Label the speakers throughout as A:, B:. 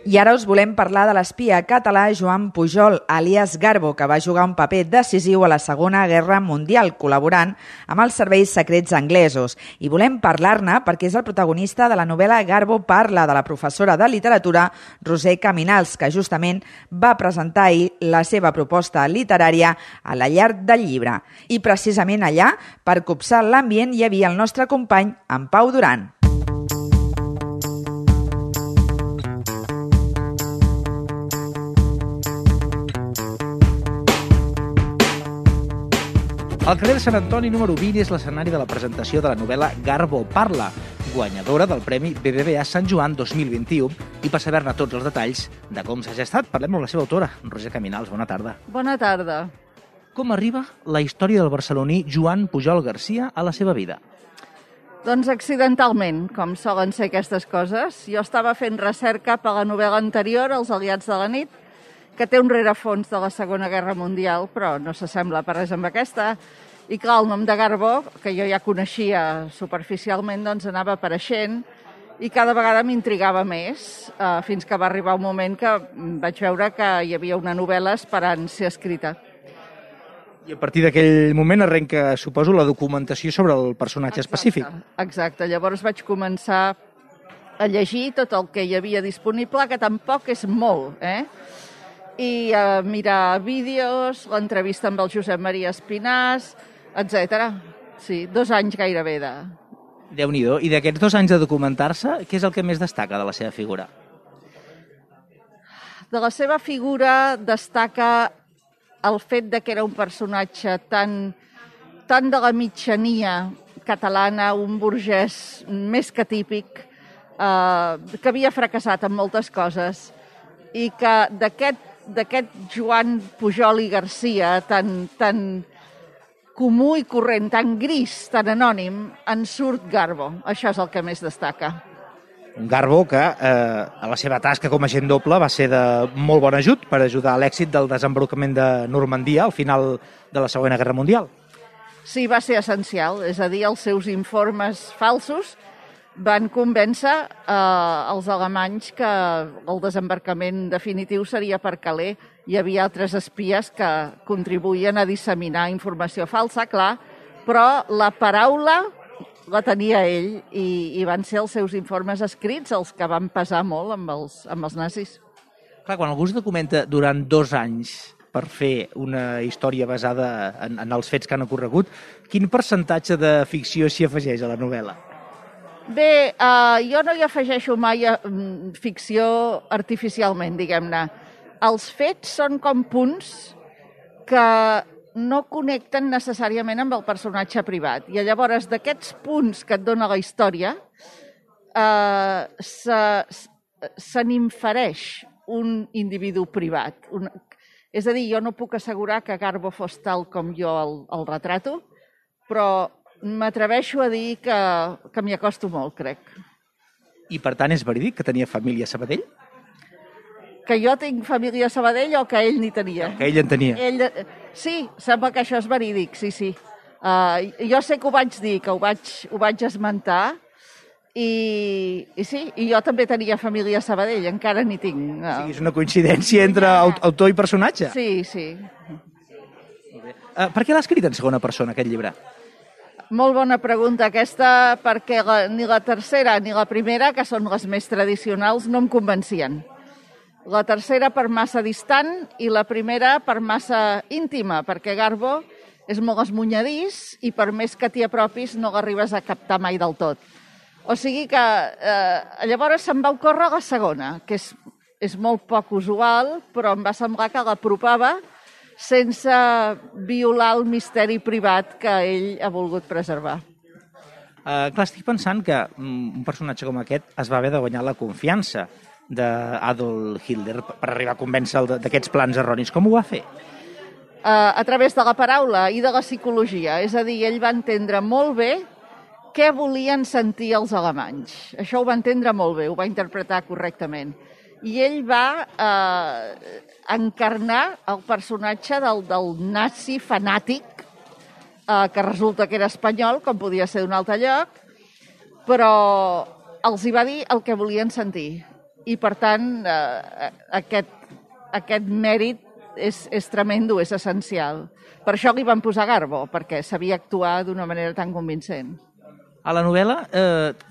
A: I ara us volem parlar de l'espia català Joan Pujol, alias Garbo, que va jugar un paper decisiu a la Segona Guerra Mundial, col·laborant amb els serveis secrets anglesos. I volem parlar-ne perquè és el protagonista de la novel·la Garbo parla, de la professora de literatura Roser Caminals, que justament va presentar ahir la seva proposta literària a la Llar del Llibre. I precisament allà, per copsar l'ambient, hi havia el nostre company, en Pau Duran.
B: El carrer de Sant Antoni número 20 és l'escenari de la presentació de la novel·la Garbo parla, guanyadora del Premi BBVA Sant Joan 2021, i per saber-ne tots els detalls de com s'ha gestat, parlem amb la seva autora, Roser Caminals. Bona tarda.
C: Bona tarda.
B: Com arriba la història del barceloní Joan Pujol Garcia a la seva vida?
C: Doncs accidentalment, com solen ser aquestes coses. Jo estava fent recerca per la novel·la anterior, Els aliats de la nit, que té un rerefons de la Segona Guerra Mundial, però no s'assembla per res amb aquesta. I clar, el nom de Garbo, que jo ja coneixia superficialment, doncs anava apareixent i cada vegada m'intrigava més, fins que va arribar un moment que vaig veure que hi havia una novel·la esperant ser escrita.
B: I a partir d'aquell moment arrenca, suposo, la documentació sobre el personatge específic.
C: Exacte. Llavors vaig començar a llegir tot el que hi havia disponible, que tampoc és molt, i a mirar vídeos, l'entrevista amb el Josep Maria Espinàs, etc. Sí, 2 anys gairebé de...
B: Déu-n'hi-do. I d'aquests 2 anys de documentar-se, què és el que més destaca de la seva figura?
C: De la seva figura destaca el fet de que era un personatge tan de la mitjania catalana, un burgès més que típic, que havia fracassat en moltes coses i que d'aquest Joan Pujol i Garcia tan comú i corrent, tan gris, tan anònim, en surt Garbo. Això és el que més destaca.
B: Un Garbo que a la seva tasca com a agent doble va ser de molt bon ajut per ajudar a l'èxit del desembarcament de Normandia al final de la Segona Guerra Mundial.
C: Sí, va ser essencial, és a dir, els seus informes falsos van convèncer els alemanys que el desembarcament definitiu seria per Calais. Hi havia altres espies que contribuïen a disseminar informació falsa, clar, però la paraula la tenia ell i van ser els seus informes escrits els que van pesar molt amb els nazis.
B: Clar, quan algú es documenta durant 2 anys per fer una història basada en els fets que han ocorregut, quin percentatge de ficció s'hi afegeix a la novel·la?
C: Bé, jo no hi afegeixo mai ficció artificialment, diguem-ne. Els fets són com punts que no connecten necessàriament amb el personatge privat. I llavors, d'aquests punts que et dona la història, se n'infereix un individu privat. És a dir, jo no puc assegurar que Garbo fos tal com jo el retrato, però m'atreveixo a dir que m'hi acosto molt, crec.
B: I per tant és verídic que tenia família a Sabadell?
C: Que jo tinc família a Sabadell o que ell n'hi tenia?
B: Que ell en tenia.
C: Sí, sembla que això és verídic, sí. Jo sé que ho vaig dir, que ho vaig esmentar, i sí, i jo també tenia família a Sabadell, encara n'hi tinc.
B: Sí, és una coincidència entre autor i personatge?
C: Sí.
B: Per què l'ha escrit en segona persona, aquest llibre?
C: Molt bona pregunta aquesta, perquè ni la tercera ni la primera, que són les més tradicionals, no em convencien. La tercera per massa distant i la primera per massa íntima, perquè Garbo és molt esmunyadís i per més que t'hi apropis no l'arribes a captar mai del tot. O sigui que llavors se'm va ocórrer la segona, que és molt poc usual, però em va semblar que l'apropava sense violar el misteri privat que ell ha volgut preservar.
B: Clar, estic pensant que un personatge com aquest es va haver de guanyar la confiança d'Adolf Hitler per arribar a convèncer d'aquests plans erronis. Com ho va fer?
C: A través de la paraula i de la psicologia. És a dir, ell va entendre molt bé què volien sentir els alemanys. Això ho va entendre molt bé, ho va interpretar correctament. I ell va encarnar el personatge del nazi fanàtic, que resulta que era espanyol, com podia ser d'un altre lloc, però els hi va dir el que volien sentir. i per tant aquest mèrit és tremendo, és essencial. Per això li van posar Garbo, perquè sabia actuar d'una manera tan convincent.
B: A la novel·la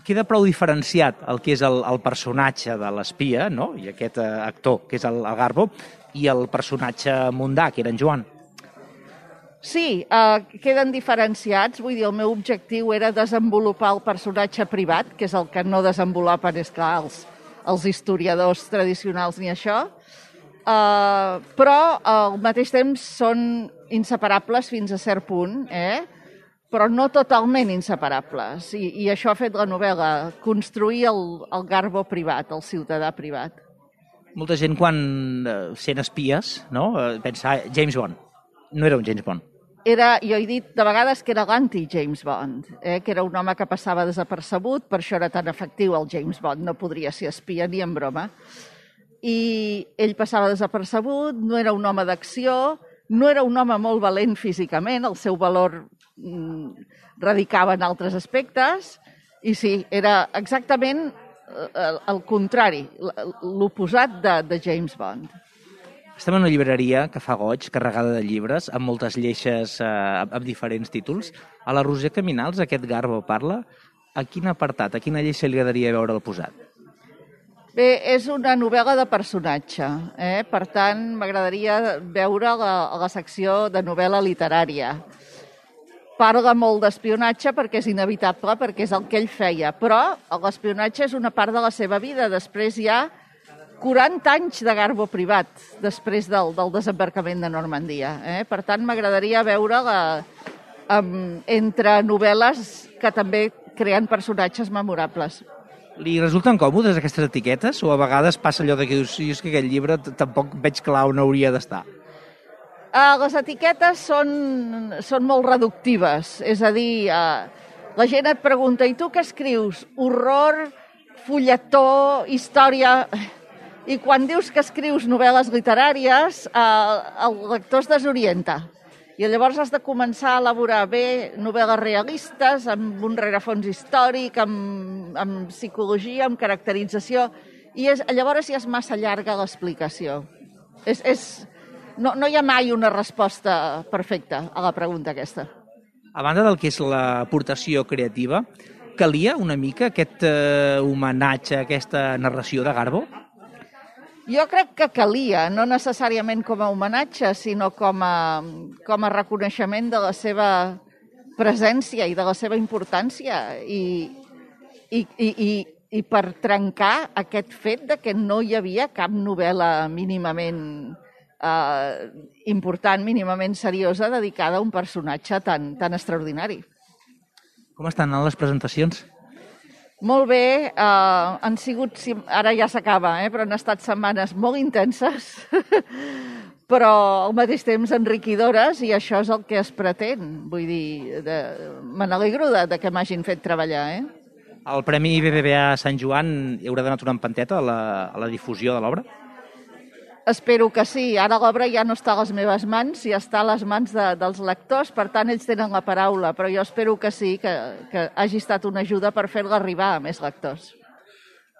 B: queda prou diferenciat el que és el personatge de l'espia, no? I aquest actor, que és el Garbo, i el personatge mundà, que era en Joan.
C: Sí, queden diferenciats. Vull dir, el meu objectiu era desenvolupar el personatge privat, que és el que no desenvolupen, és clar, els historiadors tradicionals ni això, però al mateix temps són inseparables fins a cert punt, però no totalment inseparables. I això ha fet la novel·la, construir el Garbo privat, el ciutadà privat.
B: Molta gent, quan sent espies, no? Pensa, James Bond. No era un James Bond.
C: Jo he dit de vegades que era l'anti-James Bond, que era un home que passava desapercebut, per això era tan efectiu el James Bond, no podria ser espia ni en broma. I ell passava desapercebut, no era un home d'acció, no era un home molt valent físicament, el seu valor radicava en altres aspectes, i sí, era exactament el contrari, l'oposat de James Bond.
B: Estem en una llibreria que fa goig, carregada de llibres, amb moltes lleixes amb diferents títols. A la Roser Caminals, aquest Garbo parla. A quin apartat, a quina lleixa li agradaria veure'l posat?
C: Bé, és una novel·la de personatge. Per tant, m'agradaria veure la secció de novel·la literària. Parla molt d'espionatge perquè és inevitable, perquè és el que ell feia, però l'espionatge és una part de la seva vida. Després hi ha 40 anys de Garbo privat, després del desembarcament de Normandia. Per tant, m'agradaria veure-la entre novel·les que també creen personatges memorables.
B: Li resulten còmodes aquestes etiquetes? O a vegades passa allò que dius, és que aquest llibre tampoc veig clar on hauria d'estar?
C: Les etiquetes són molt reductives. És a dir, la gent et pregunta, i tu què escrius? Horror, fulletó, història... I quan dius que escrius novel·les literàries, el lector es desorienta. I llavors has de començar a elaborar bé novel·les realistes, amb un rerefons històric, amb psicologia, amb caracterització, i llavors ja és massa llarga l'explicació. No hi ha mai una resposta perfecta a la pregunta aquesta.
B: A banda del que és l'aportació creativa, calia una mica aquest homenatge, aquesta narració de Garbo?
C: Jo crec que calia, no necessàriament com a homenatge, sinó com a reconeixement de la seva presència i de la seva importància i per trencar aquest fet de que no hi havia cap novel·la mínimament important, mínimament seriosa, dedicada a un personatge tan extraordinari.
B: Com estan les presentacions?
C: Molt bé, han sigut, ara ja s'acaba, però han estat setmanes molt intenses, però al mateix temps enriquidores, i això és el que es pretén. Vull dir, me n'alegro de que m'hagin fet treballar.
B: El Premi BBVA Sant Joan haurà donat una empenteta a la difusió de l'obra?
C: Espero que sí. Ara l'obra ja no està a les meves mans, ja està a les mans dels lectors, per tant, ells tenen la paraula, però jo espero que sí, que hagi estat una ajuda per fer-la arribar a més lectors.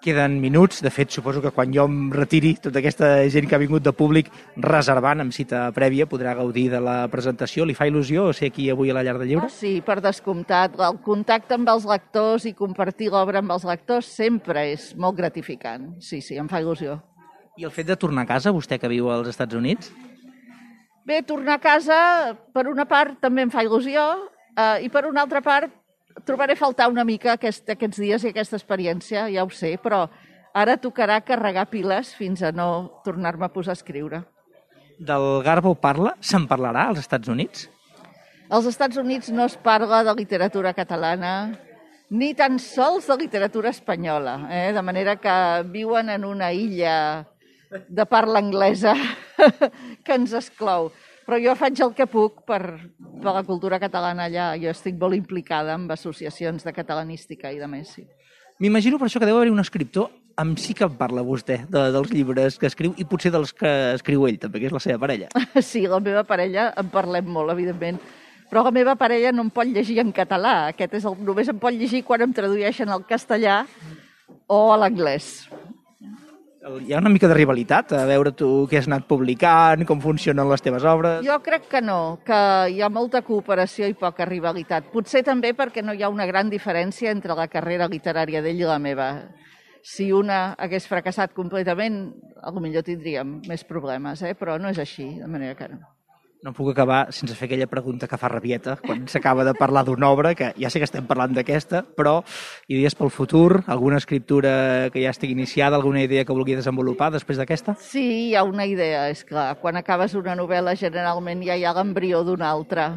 B: Queden minuts. De fet, suposo que quan jo em retiri, tota aquesta gent que ha vingut de públic reservant amb cita prèvia podrà gaudir de la presentació. Li fa il·lusió ser aquí avui a la Llar del Llibre?
C: Sí, per descomptat. El contacte amb els lectors i compartir l'obra amb els lectors sempre és molt gratificant. Sí, em fa il·lusió.
B: I el fet de tornar a casa, vostè que viu als Estats Units?
C: Bé, tornar a casa, per una part, també em fa il·lusió, i per una altra part, trobaré a faltar una mica aquests dies i aquesta experiència, ja ho sé, però ara tocarà carregar piles fins a no tornar-me a posar a escriure.
B: Del Garbo parla? Se'n parlarà als Estats Units?
C: Als Estats Units no es parla de literatura catalana, ni tan sols de literatura espanyola, de manera que viuen en una illa de parla anglesa que ens exclou. Però jo faig el que puc per la cultura catalana allà. Jo estic molt implicada amb associacions de catalanística i de més. Sí.
B: M'imagino per això que deu haver un escriptor amb sí que en parla vostè, dels llibres que escriu i potser dels que escriu ell, també, que és la seva parella.
C: Sí, la meva parella en parlem molt, evidentment. Però la meva parella no em pot llegir en català. Només em pot llegir quan em tradueixen al castellà o a l'anglès.
B: Hi ha una mica de rivalitat, a veure tu què has anat publicant, com funcionen les teves obres...
C: Jo crec que no, que hi ha molta cooperació i poca rivalitat. Potser també perquè no hi ha una gran diferència entre la carrera literària d'ell i la meva. Si una hagués fracassat completament, potser tindríem més problemes, però no és així, de manera que no.
B: No puc acabar sense fer aquella pregunta que fa rabieta quan s'acaba de parlar d'una obra, que ja sé que estem parlant d'aquesta, però idees pel futur, alguna escriptura que ja estigui iniciada, alguna idea que vulgui desenvolupar després d'aquesta?
C: Sí, hi ha una idea, és clar. Quan acabes una novel·la generalment ja hi ha l'embrió d'una altra,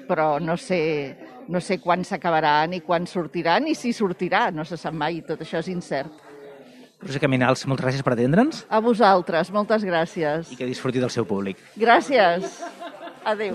C: però no sé quan s'acabarà, ni quan sortirà, ni si sortirà, no se sap mai, tot això és incert.
B: Roser Caminals, moltes gràcies per atendre'ns.
C: A vosaltres, moltes gràcies.
B: I que disfruti del seu públic.
C: Gràcies. Adéu.